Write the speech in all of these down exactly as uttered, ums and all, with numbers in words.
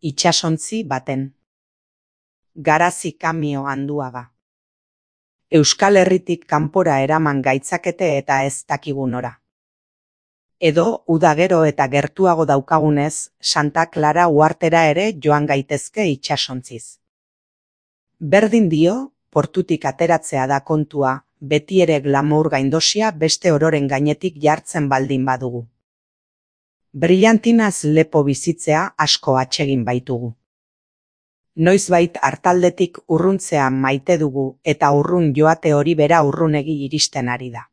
itsasontzi baten. Garazi Kamio Anduaga. Euskal Herritik kanpora eraman gaitzakete eta ez dakigu nora. Edo, uda gero eta gertuago daukagunez, Santa Clara uhartera ere joan gaitezke itsasontziz. Berdin dio, portutik ateratzea da kontua, beti ere glamour gaindosia beste ororen gainetik jartzen baldin badugu. Brillantinaz lepo bizitzea asko atsegin baitugu. Noizbait hartaldetik urruntzea maite dugu eta urrun joate hori bera urrunegi iristen ari da.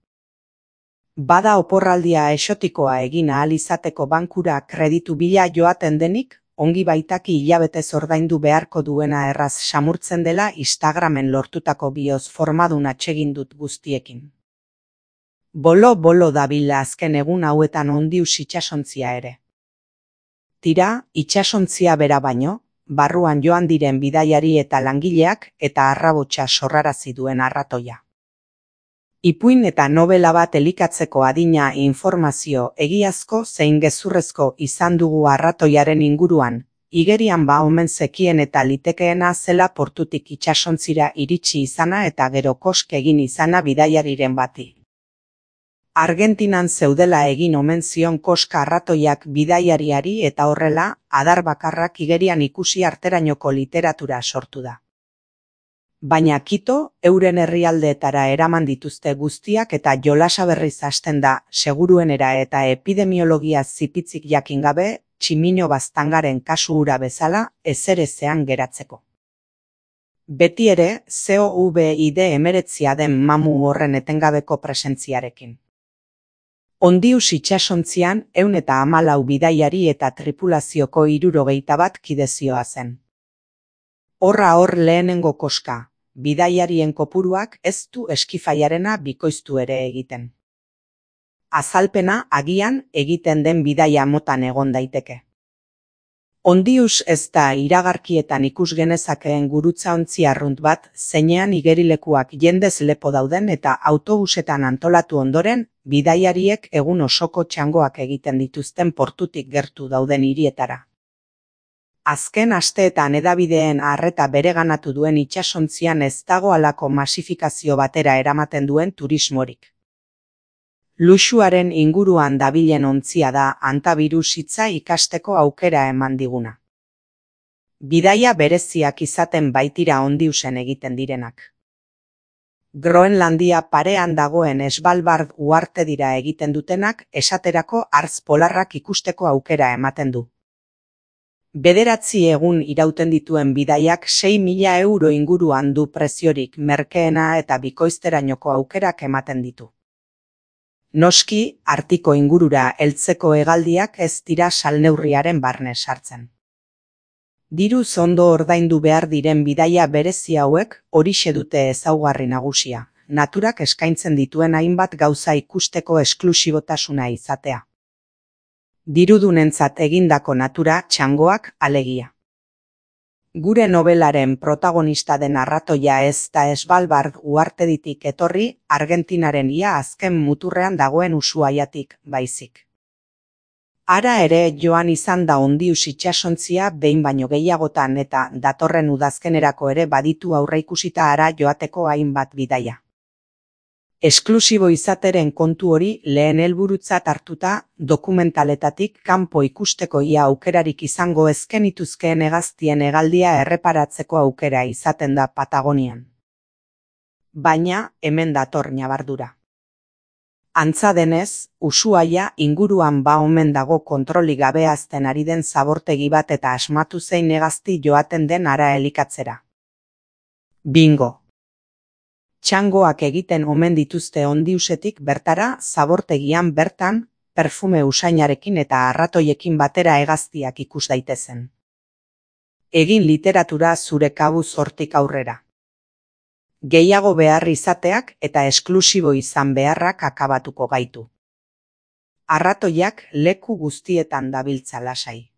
Bada oporraldia exotikoa egin ahal izateko bankura kreditu bila joaten denik, ongi baitaki hilabetez ordaindu beharko duena erraz samurtzen dela Instagramen lortutako bioz formadun atsegin dut guztiekin. Bolo-bolo dabila azken egun hauetan Ondius itsasontzia ere. Tira, itsasontzia bera baino, barruan joan diren bidaiari eta langileak eta arrabotsa sorrarazi duen arratoia. Ipuin eta novela bat elikatzeko adina informazio egiazko zein gezurrezko izan dugu arratoiaren inguruan, igerian ba omen zekien eta litekeena zela portutik itsasontzira iritsi izana eta gero kosk egin izana bidaiariren bati. Argentinan zeudela egin omen zion koska arratoiak bidaiariari eta horrela, adar bakarrak igerian ikusi arterainoko literatura sortu da. Baina Kito, euren herrialdeetara eraman dituzte guztiak eta jolasa berriz hasten da, seguruenera eta epidemiologia zipitzik jakin gabe, Tximino Baztangaren kasu hura bezala, ezerezean geratzeko. Beti ere, COVID hemeretzia den mamu horren etengabeko presentziarekin. Ondius itsasontzian ehun eta hamalau bidaiari eta tripulazioko hirurogeita bat kidezioa zen. Horra hor lehenengo koska, bidaiarien kopuruak ez du eskifaiarena bikoiztu ere egiten. Azalpena agian egiten den bidaia motan egon daiteke. Ondius ez da iragarkietan ikus genezakeen gurutzaontzi arrunt bat, zeinean igerilekuak jendez lepo dauden eta autobusetan antolatu ondoren, bidaiariek egun osoko txangoak egiten dituzten portutik gertu dauden hirietara. Azken asteetan hedabideen arreta bereganatu duen itsasontzian ez dago halako masifikazio batera eramaten duen turismorik. Luxuaren inguruan dabilen ontzia da antavirus hitza ikasteko aukera eman diguna. Bidaia bereziak izaten baitira Ondiusen egiten direnak. Groenlandia parean dagoen Svalbard uharte dira egiten dutenak esaterako hartz polarrak ikusteko aukera ematen du. Bederatzi egun irauten dituen bidaiak sei mila euro inguruan du preziorik merkeena eta bikoizterainoko aukerak ematen ditu. Noski, artiko ingurura heltzeko hegaldiak ez dira salneurriaren barne sartzen. Diruz ondo ordaindu behar diren bidaia berezi hauek horixe dute ezaugarri nagusia, naturak eskaintzen dituen hainbat gauza ikusteko esklusibotasuna izatea. Dirudunentzat egindako natura txangoak alegia. Gure nobelaren protagonista den arratoia ez da Svalbard uharteditik etorri Argentinaren ia azken muturrean dagoen Ushuaiatik baizik. Hara ere joan izan da Ondius itsasontzia behin baino gehiagotan eta datorren udazkenerako ere baditu aurreikusita hara joateko hainbat bidaia. Esklusibo izateren kontu hori lehen helburutzat hartuta dokumentaletatik kanpo ikusteko ia aukerarik izango ezkenituzkeen hegaztien hegaldia erreparatzeko aukera izaten da Patagonian. Baina hemen dator ñabardura. Antza denez, Ushuaia inguruan ba omen dago kontrolik gabe hazten ari den zabortegi bat eta asmatu zein hegazti joaten den hara elikatzera. Bingo! Txangoak egiten omen dituzte Ondiusetik bertara zabortegian bertan, perfume usainarekin eta arratoiekin batera hegaztiak ikus daitezen. Egin literatura zure kabuz hortik aurrera. Gehiago behar izateak eta esklusibo izan beharrak akabatuko gaitu. Arratoiak leku guztietan dabiltza lasai.